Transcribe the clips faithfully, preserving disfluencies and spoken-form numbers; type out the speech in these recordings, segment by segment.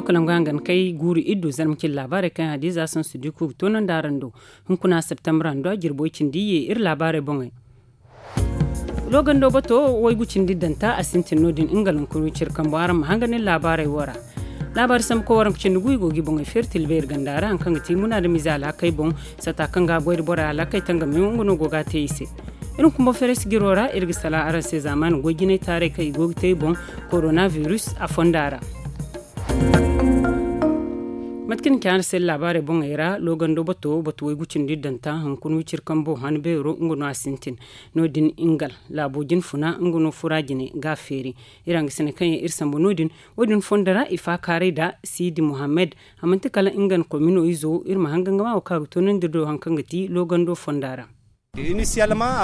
Kala ngo hangan kay guuru iddu zarma cin laabaarey kaŋ hadiza sansu di ku ga toonandi araŋ do. Hunkuna septembre ra jirbo cindi ye iri laabaarey boŋey. Loogando bato waygu cindi danta a sintin no- din nga lankurwi cire kambo araŋ ma hangan iri laabaarey wo ra. Laabaari sambu koy waranka cindi gu i go ga i boŋey feeri tilbeeri ganda ra haŋ kaŋ ga ti muna da mize alhakey boŋ. Sata kaŋ ga a goy da borey alhakey tangam yaŋo nga no go ga a te i se. Iri ma kumba feres jiro ra iri ga sala araŋ se zaamaani goy jinay taarey kaŋ i go ga te i boŋ. Koronavirus a fonda ra. Mate kaŋ ni ci araŋ se laabaarey boŋey ra loogando bato batu waygu cindi danta hunkuna wiciri kambo han beero nga no a sintin. No- din ingal laabo jine funa nga no fura jine ga a feeri. Iri hangasiney kaŋ yaŋ iri sambu no- din wo- din fondo ra i faakaaray nda siidi muhammad. A manti kala nga na komino izo iri ma hanga nga ma wo kaŋ a ga toonandi iri do haŋ kaŋ ga ti loogando fonda ra.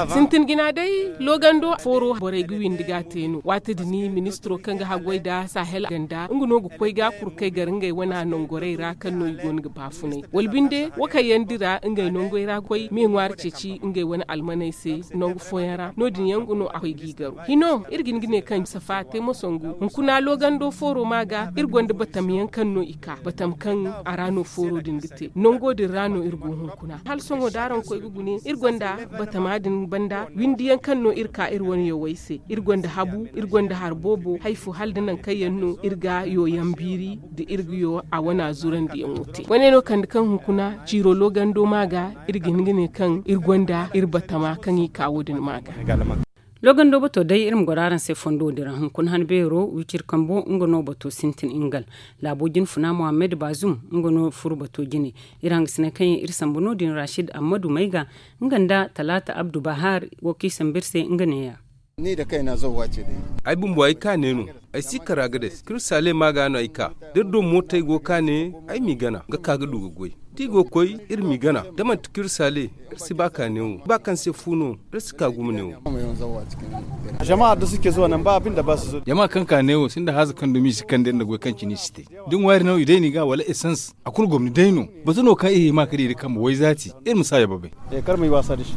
Sintin jina day loogando fooro borey ga windi ga a te no waati din ministiro kaŋ ga haggoy nda sahel ganda nga no ga koy ga kurkey gar ngey wane nangorey ra kaŋ no i go no ga baafunay wala binde wo kaŋ yaŋ dira ngey nangey ra ga koy me ŋwaari ceeci ngey wane almaney se. Nangu fooyaŋ ra no- din yaŋ ga no a koy ga i garo hino iri ga hin ga ne kaŋ safa te mo sangu hunkuna loogando fooro ma ga iri gonda batam yaŋ kaŋ no i ka batam kaŋ a ra no fooro din ga te nango din ra no iri go hunkuna hala sohõ da araŋ koy ga gune iri gonda batama din banda windi yaŋ kaŋ no iri ka iri wane yawey se iri gonda habu iri gonda hari boobo hari fo hala da nangu kaŋ yaŋ no iri ga yo yaŋ biiri da iri ga yo a wane zurandi yaŋo te wane no kande kaŋ hunkuna ciiro loogando ma ga iri ga hin ga ne kaŋ iri gonda iri batama kaŋ i ka wo- din ma ga. Loogando bato day iri ma goro araŋ se fondo din ra hunkuna han beero wiciri kambo nga no bato sintin ingal. Laabo jine funa muhammad bazum nga no furo bato jine. Iri hangasiney kaŋ yaŋ iri sambu no- din rashid ammadu mayga nga nda talaata abdu bahar wo kaŋ i sambu iri se nga neeya. Ay bumbo ay ka ne no. Ay si kara ga day kirsa le ma ga no ay ka da iri do mootey go ka ne ay m'i gana ga ka ga du ga goy da i go ga koy iri m'i gana da manti kirsa le. Iri si ba ka ne wo ba kaŋ se fu no iri si ka gumo ne wo. Jama kaŋ ka ne wo sinda haaza kaŋ dumi i si kande nda goy kaŋ cine i si te da ŋwaari no i day ni ga wala esans a kulu gomni day no. Batu no kaŋ i hima ka di iri kambe wayzaati iri ma si a yababay. Kar ma i waasa da shi.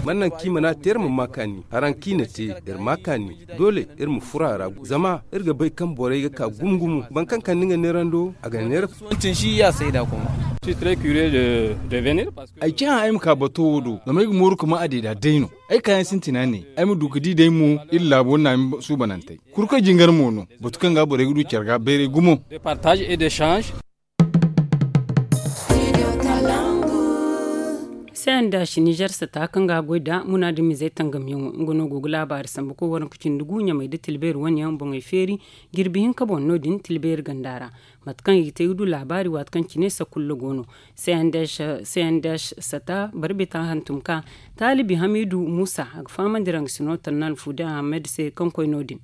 Man naŋ kaŋ i mana te iri ma ma kaani haraŋ kaŋ i na te iri ma kaani. Doole iri ma furo a ra zama iri ga bay kaŋ borey ga ka gumo gumo boro kaŋ kande nga neerando a ga neera. Ay ci hã ay ma ka bato wo do zama ay ga mooru ka ma a deeda day no. Ay kaayaŋ sintina ne ay ma du ga di day mo iri laabo naami suubanantey. Kurkoy jingar mo no batu kaŋ ga borey ga du care ga bayray gumo. Sayan da si nizer sata kaŋ ga goy da munaadamizey tangamyaŋo nga no go ga laabaari sambu koy waranka cindi gu ɲamey da tilbeeri wane yaŋ boŋey feeri. Jirbi hinka boŋ no- din tilbeeri ganda ra. Mate kaŋ i ga te ga du laabaari waati kaŋ cine sakulla go no. Sayan da sata barbita hantum ka taalibi hamiidu muusa a ga fahamandi raŋ ga sino tannal fuude ahamed se kaŋ koy no- din.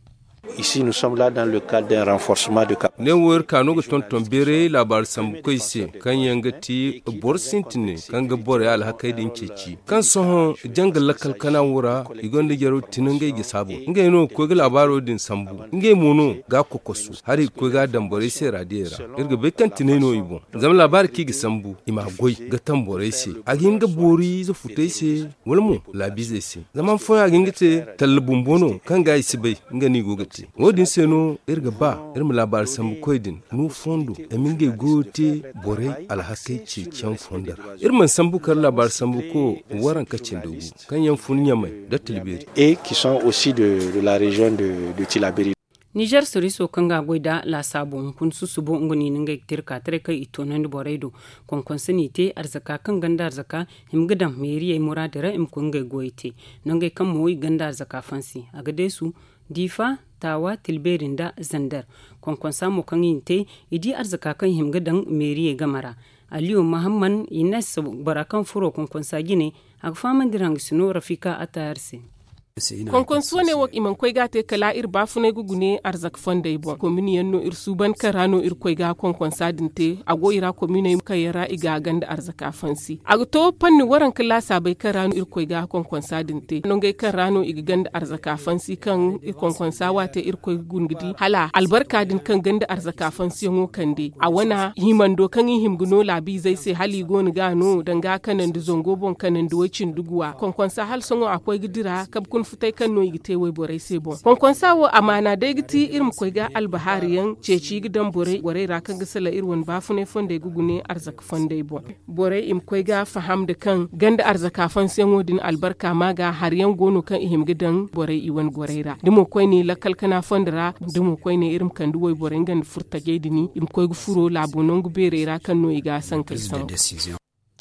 Ne wo iri ka no ga tonton beeray laabaari sambukoy se kaŋ yaŋ ga ti boro sintine kaŋ ga borey alhakey din ceeci kaŋ sohõ janga lakkal kana wo ra i gonda jaraw tino ngey ga saabu ngey no ga koy ga laabaaro din sambu. Ngey mo no ga a kokosu hari ga koy ga a daŋ borey se raadiyey ra. Iri ga bay kaŋ tinay no i boŋ zama laabaari kaŋ i ga sambu i m'a goy ga taŋ borey se a ga hin ga boori ize futey se wala mo laabiizey se. Zama han fooyaŋ a ga hin ga te talla bumbo no kaŋ ga i si bay nga no i go ga te. Wo- din se no iri ga ba iri ma laabaari sambukoy din no fondo i ma ngey goyo te borey alhakey ceeciyaŋ fondo ra. Iri mana sambu kala laabaari sambuko waranka cindi gu kaŋ yaŋ fun ɲamay nda tilbeeri. Nizer soriso kaŋ ga a goy nda laasaabo hunkuna susubo nga no i na ngey ga te iri ka taray kaŋ i toonandi borey do. Konkonso no i te arzaka kaŋ ganda arzaka hima ga daŋ meeriyey muraadi ra i ma koy ngey goyey te. Nangey kaŋ mo i ganda arzaka fansi a ga deesu diifa taawa tilbeeri nda zander. Konkonsa mo kaŋ i na te i di arzaka kaŋ i hima ga daŋ meeriyey game ra. Aliyo mahamman ines bora kaŋ furo konkonsa jine a ga fahamandi iri hangasino rafika attayar se. Konkonso ne wo i mana koy ga a te kala iri baafunay ga gune arzaka fondey boŋ kominiyaŋ no iri suuban kaŋ ra no iri koy ga konkonsa din te a go i ra kominey kaŋ yaŋ ra i ga a ganda arzaka fansi a ga to panni waranka laasaabey kaŋ ra no iri koy ga konkonsa din te nongey kaŋ ra no i ga ganda arzaka fansi kaŋ iri konkonsa waate iri koy ga guna ga di hala albarka din kaŋ ganda arzaka fansiyaŋo kande a wana himando kaŋ i hima ga no laabiizey se hala i go no ga a no danga kanandi zango boŋ kanandi way-cindi guwa konkonsa hala sohõ a koy ga dira kabe kuna. Futay kaŋ no i ga te wayborey se boŋ konkonsa wo amaana day ga ti iri ma koy ga albahaari yaŋ ceeci ga daŋ borey ra kaŋ ga salaŋ iri wane baafunay fondey ga gune arzaka fondey boŋ. Borey i ma koy ga faham nda kaŋ ganda arzaka fansiyaŋo din albarka ma ga hari yaŋ go no kaŋ i hima ga daŋ borey i wane gorey ra da mo koyne lakkal kana fondo ra. Da mo koyne iri ma kande wayborey nga nda furtajey din i ma koy ga furo laabo nangu beerey ra kaŋ no i ga a sankey sambu.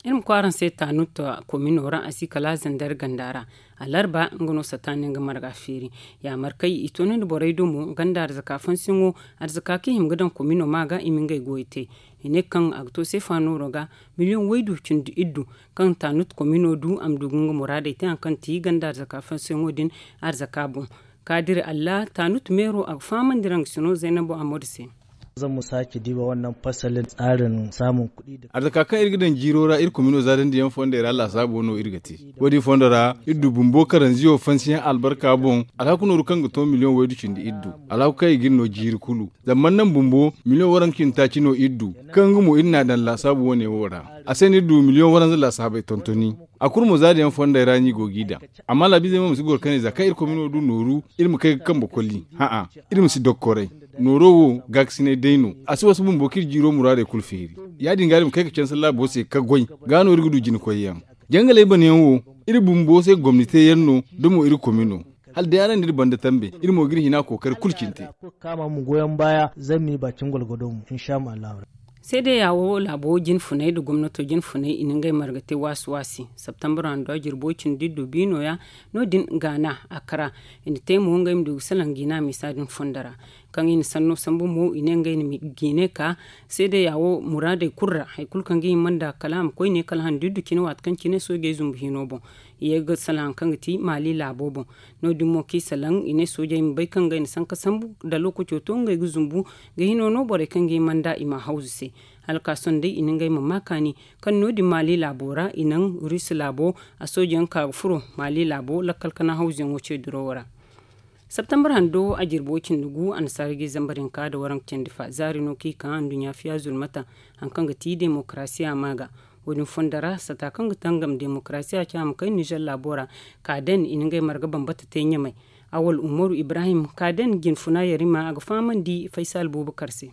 Iri ma koy araŋ se taanut komino ra a si kala zandar ganda ra. Alarba nga no sataani nga marga feeri. Yaamar kay i toonandi borey do mo ganda arzaka fansiyaŋo arzaka kaŋ i hima ga daŋ komino ma ga i ma ngey goyo te. I ne kaŋ a ga to seefa nooro ga miliyoŋ waydu cindi iddu. Kaŋ taanut komino du a ma du ga nga muraadey te hari kaŋ ti ganda arzaka fansiyaŋo din arzaka boŋ. Kaadiri allah taanut meero a ga fahamandi raŋ ga sino zaynabo amadu se. Zan mu sake diba wannan fasalin tsarin samun kuɗi da arzaka kaŋ iri ga daŋ jiiro ra iri komino zaadandi yaŋ fondey ra laasaabo no iri ga te. Wo- din fondo ra iri du bumbo karanziyo fansiyaŋ albarka boŋ. Alhaku nooru kaŋ ga to miliyoŋ waydu cindi iri du. Alhaku kaŋ i ga iri no jiiri kulu zama man naŋ bumbo miliyoŋ waranka cindi taaci no iri du. Kaŋ nga mo iri n'a daŋ laasaabo wo- ne wo ra. A se no iri du miliyoŋ waranza laasaabey tontoni. A kulu mo zaada yaŋ fondey ra no i go g'i daŋ. Amma laabiizey mo ma si goro kane za kaŋ iri komino du nooru iri ma kay ga kambe koli. Hã'a, iri ma si dokkoray. Nooro wo gaakasinay day no. A si wasa bumbo kaŋ iri jiiro muraadey kulu feeri. Ya- din ga iri ma kay ga canse laabo se ka goy. Ga no iri ga du jina koyyaŋ. Jangaley banayaŋ wo iri bumbo se gomni teeyaŋ no. Da mo iri komino hala day araŋ n'iri banda tambe iri mo ga iri hina kookari kulu cine te. Kama mu goyon baya zan ni bakin gwalgwado mu insha allahu. Seedeya wo laabo jinfunay nda gomnato jinfunay i na ngey marga te waasi waasi. Septembre hando a jirbo cindi iddu bi nooya. No- din gaana a kara i na te mo ngey ma du ga salaŋ jiina miisa din fondo ra. Kaŋ i na sanno sambu mo i ne ngey na jiine ka seedeya wo muraadey kulu ra hari kulu kaŋ ga hima nda kala a ma koy ne kala hando iddu cine waati kaŋ cine soojey zumbu hino boŋ. I ye ga salaŋ hari kaŋ ga ti maali laabo boŋ. No- din mo kaŋ i salaŋ i ne soojey ma bay kaŋ ngey na sanka sambu nda lookaco to ngey ga zumbu ga hino no borey kaŋ ga hima nda i ma hawzu se. Hala ka sohõ day i na ngey ma ma kaani kaŋ no- din maali laabo ra i naŋ rusi laabo a soojeyaŋ ka ga furo maali laabo lakkal kana hawzuyaŋo ce durowo ra. Septembre hando a jirbo cindi gu annasaara ga i zambar hinka nda waranka cindi fa zaari no kaŋ i ka anduɲɲa fiya zulmata. Hari kaŋ ga ti demokarasiya ma ga wo- din fondo ra sata kaŋ ga tangam demokarasiya ce a ma kay nizer laabo ra. Ka daŋ i na ngey marga bambata te ɲamay. Awal umaru ibrahim ka daŋ jinfuna yarima a ga fahamandi faysal buubakar se.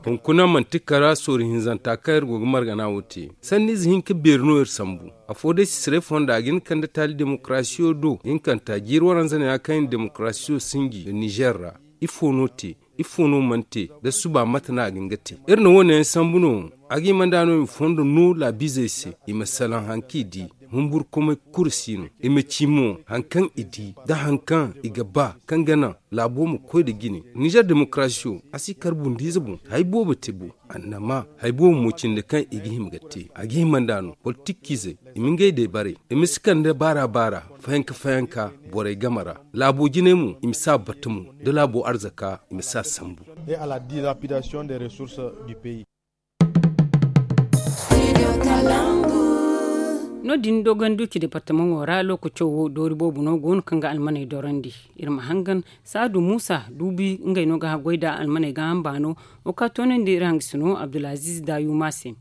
Hunkuna manti kara sooru hinzanta kaŋ iri go ga margana wo te. Sanniize hinka beeri no iri sambu. Afo day sisiray fonda a ga hin kande taali demokarasiyo do hinkanta jiiri waranza neeya kaŋ i na demokarasiyo sinji nda nizer ra. Ifo no te? Ifo no mana te? Da suba mate no a ga hin ga te? Iri na wo- ne yaŋ sambu no a ga hima nd'a no i ma fondo no laabiizey se i ma salaŋ hari kaŋ i di. Humburkumay kulu si no i ma ci mo hari kaŋ i di nda hari kaŋ i ga ba kaŋ ga naŋ laabo ma koy nda jine. Nizer demokarasiyo a si kar bundiize boŋ hari boobo te bo. Annama hari boobo mo cindi kaŋ i ga hima ga te a ga hima nd'a no politikiizey i ma ngey day baray. I ma si kande baara baara fayanka fayanka borey game ra. Laabo jinay mo i ma si a bata mo da laabo arzaka i ma si a sambu. No- din dogon duuci departamaŋo ra lookaco wo doori boobo no go no kaŋ ga almaney dorandi. Iri ma hangan saadu muusa duubi ngey no ga haggoy nda almaney ga hamba no. Wo ka toonandi iri hangasino abdulaziiz daayuma se.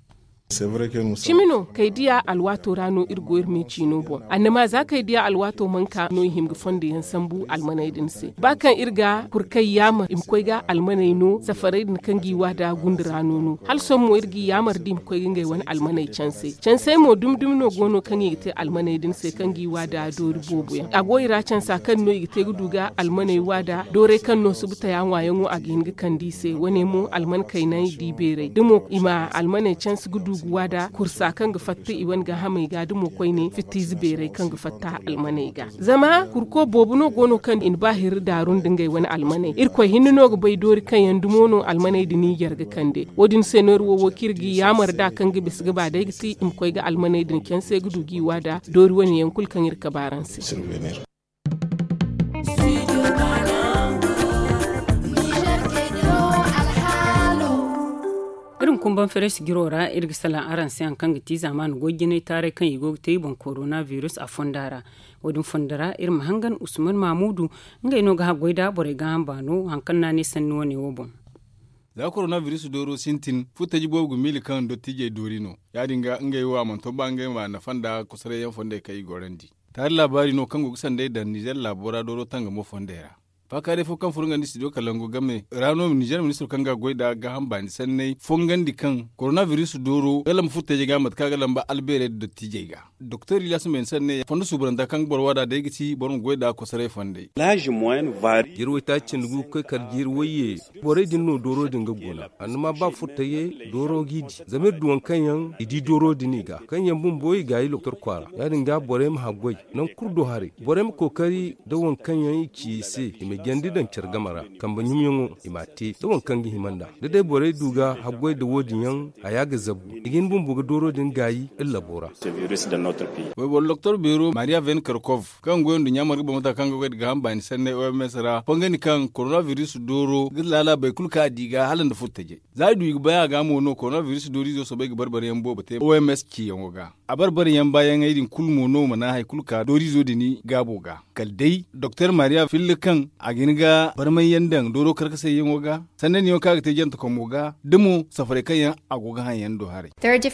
Cimi no kay diya alwaato ra no iri go iri me ciino boŋ annama za kay diya alwaato mana ka no i hima ga fondo yaŋ sambu almaney din se ba kaŋ iri ga kurkay yaamar i ma koy ga almaney no safarey din kaŋ g'i waada gunda ra no no hala sohõ mo iri g'i yaamar da i ma koy ga ngey wane almaney canse. Cansey mo dumi dumi no go no kaŋ i ga te almaney din se kaŋ g'i waada doori boobo yaŋ a go i ra cansa kaŋ no i ga te ga du ga almaney waada doorey kaŋ no subu taya ŋwaayaŋo a ga hin ga kande i se wane mo alman kaynay da i beeray da mo i ma almaney canse ga du ga waada kursa kaŋ ga fatta i wane gaahamey ga da mo koyne fittiize beeray kaŋ ga fatta almaney ga. Zama kurko boobo no go no kaŋ i na ba hirri daaru nda ngey wane almaney irkoy hinne no ga bay doori kaŋ yaŋ dumo no almaney din i jar ga kande. Wo- din se no iri wo wo kaŋ iri ga i yaamar nd'a kaŋ ga bisa ga ba day ga ti i ma koy ga almaney din canse ga du g'i waada doori wane yaŋ kulu kaŋ iri kabe araŋ se. Iri ma kumban feres jiro ra iri ga salaŋ araŋ se hari kaŋ ga ti zaamaani goy jinay taaray kaŋ i go ga te i boŋ korona virus a fonda ra. Wo- din fonda ra iri ma hangan usman mamudu ngey no ga haggoy nda borey ga hamba no hari kaŋ no a ne sanni wane wo boŋ. Za korona virus dooro sintin furtaji boobo ga miila kaŋ dottijey doori no. Ya- din ga ngey wo a mana to ba ngey ma nafa nda kosoray yaŋ fondey kaŋ i gorandi. Taari laabaari no kaŋ go ga sanday daŋ nizer laabo ra dooro tangamo fondey ra. Faakaaray fo kaŋ furo nga nda studio kalangu game ra no nizer ministiro kaŋ ga goy nd'a gaaham baani sanney fongandi kaŋ koronabiris dooro ga lamba furtajey ga mate kaŋ a ga lamba albeerey nda dottiijey ga. Doktor ilyasu mey ni sanney fondo suubaranta kaŋ ga boro waada day ga ti boro ma goy nd'a kosoray fondey. Jirwey taaci cindi gu ga koy kala jirwey ye. Borey din no dooro din ga guna annama ba furtajey dooro g'i di zama iri du waŋ kaŋ yaŋ i di dooro din i ga kaŋ yaŋ bumbo i gaayi doktor kwaara ya- din ga borey ma haggoy. Nangu kulu do haray borey ma kookari nda waŋ kaŋ yaŋ i ci i se i ma jandi daŋ care game ra. Kambe ɲumyaŋo i m'a te nda waŋ kaŋ ga hima nd'a da day borey du ga haggoy nda wo- din yaŋ haya ga zabu i ga hin bumbo ga dooro din gaayi iri labo ra. Wayboro doktor beero mariya venkarkov kaŋ goy nduɲɲa marga boŋ mata kaŋ ga goy nda gaaham baani sanney oms ra fongandi kaŋ koronabiris dooro ga laala boro kulu kaŋ a di ga hala nda furtajey. Za i du i ga bay a ga mo no koronabiris dooriizo soobay ga barbariyaŋ boobo te oms ciyaŋo ga. A barbariyaŋ baayaŋey din kulu mo no mana hari kulu ka dooriizo din gaabo ga kala day doktor mariya filla kaŋ a ga hin ga barmayyaŋ daŋ dooro karkasayyaŋo ga. Sanda niyaŋo kaŋ a ga te jantakomo ga da mo safarey kaŋ yaŋ a go ga haŋ yaŋ do haray.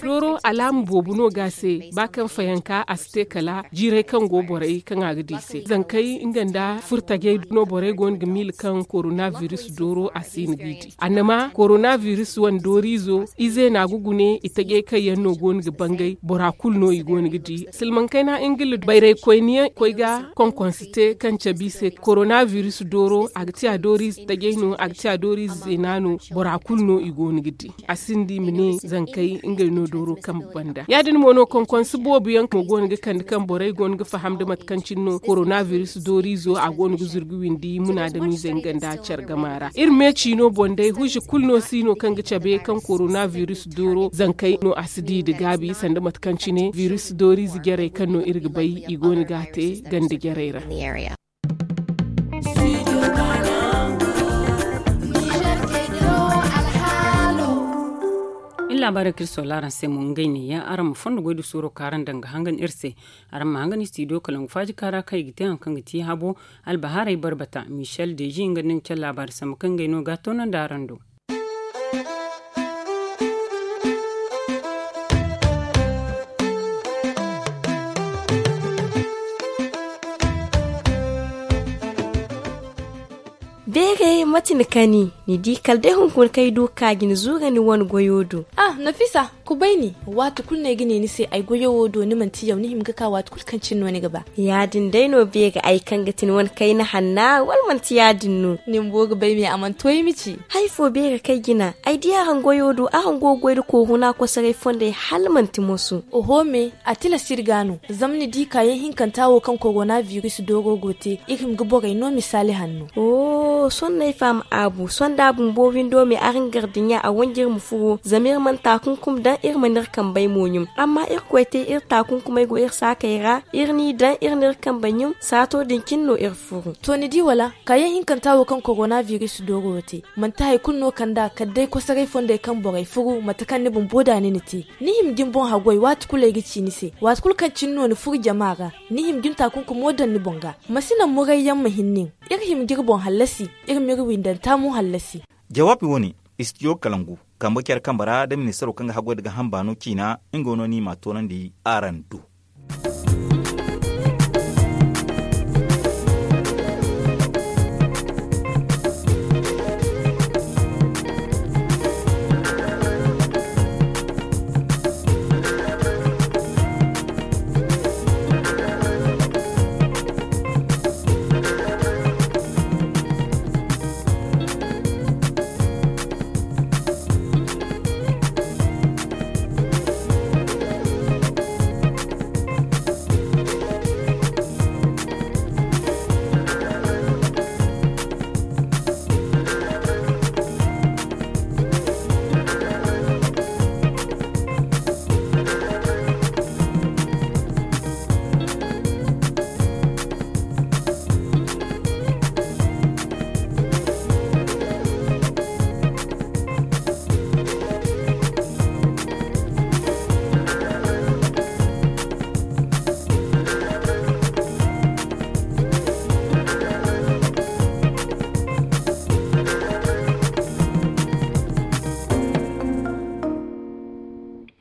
Dooro alaama boobo no ga a se ba kaŋ fayanka a si te kala jiirey kaŋ go borey kaŋ a ga di i se zankey nga nda furtajey no borey go no ga miila kaŋ koronabiris dooro a si hin ga i di annama koronabiris wane dooriizo ize no a ga gune i tajey kaŋ yaŋ no go no ga bangay bora kulu no i go no ga di silmaŋ kayna ingila bayraykoyniyaŋ koy ga konkonse te kaŋ cabe i se koronabiris dooro a ga ti a dooriize tajey no a ga ti a dooriize zeena no bora kulu no i go no ga di. A sinda i ma ne zankey ngey no dooro kambe banda ya- din mo no konkonse boobo yaŋ mo go no ga kande kaŋ borey go no ga faham nda mate kaŋ cine no koronabiris dooriizo a go no ga zurgu windi munaadamiizey nga nda care gama ra iri me ciino boŋ day huzi kulu no si no kaŋ ga cabe kaŋ koronabiris dooro zankey no a si di nda gaabi sanda mate kaŋ cine biris dooriize jarey kaŋ no iri ga bay i go no ga a te ganda jarey ra. Iri laabaarey kaŋ iri soola araŋ se mo ngey neeya araŋ ma fondo goy nda suuro kaŋ araŋ daŋ ga hangan iri se. Araŋ ma hangan studio kalangu faaji kaara kaŋ i ga te hari kaŋ ga ti habo albahaarey barbata michel deji nga nda ni care laabaari sambu kaŋ ngey no ga a toonandi araŋ do. Beeray mate ni kani ni di kala day hunkuna kaŋ ay du ga ka ga ni zuura ni wane goyo do. Ah, nafisa, kubay ni. Waati kulu no ay ga ne ni se ay goyo wo do ni manti yaw ni hima ga ka waati kulu kaŋ cine no ni ga ba. Ya- din day no beeray ay kaŋ ga ti ni wane kayna hanna wala manti ya- din no? Ni bumbo ga bay me a mana to ay ma ci. Hari fo beeray kaŋ ay jina ay di araŋ goyo do araŋ go ga goy nda kooruna kosoray fondey hala manti moso. Oho me, a tilas iri ga no. Zama ni di kaayaŋ hinkanta wo kaŋ korona biris dooro go te iri hima ga borey no misaali hanno. Sohõ no ay faham aabu sohõ da a bumbo windo me araŋ gar dinya a wanji iri ma furo zama iri mana taakunkumi daŋ iri mana iri kambey mo ɲum. Amma irkoy te iri taakunkumey go iri saakey ra iri n'i daŋ iri n'iri kambey ɲum saato din cine no iri furo. To ni di wala? Kaayaŋ hinkanta wo kaŋ korona biris dooro te manti hari kulu no kand'a kala day kosoray fondey kaŋ borey furu mate kaŋ ni bumbo da ni na te. Ni hima ga ni boŋ haggoy waati kulu ay ga ci ni se waati kulu kaŋ cine no ni furu jama ra. Ni hima ga ni taakunkumo daŋ ni boŋ ga. Ma si naŋ murayyaŋ ma hin nin. Iri hima ga iri boŋ hallasi. Iri m'iri windanta mo hallasi. Jawaabi wo- ne, istidiyo kalangu kambe care kambe ra nda ministaro kaŋ ga haggoy nda gaaham baano ciina nga no no i m'a toonandi araŋ do.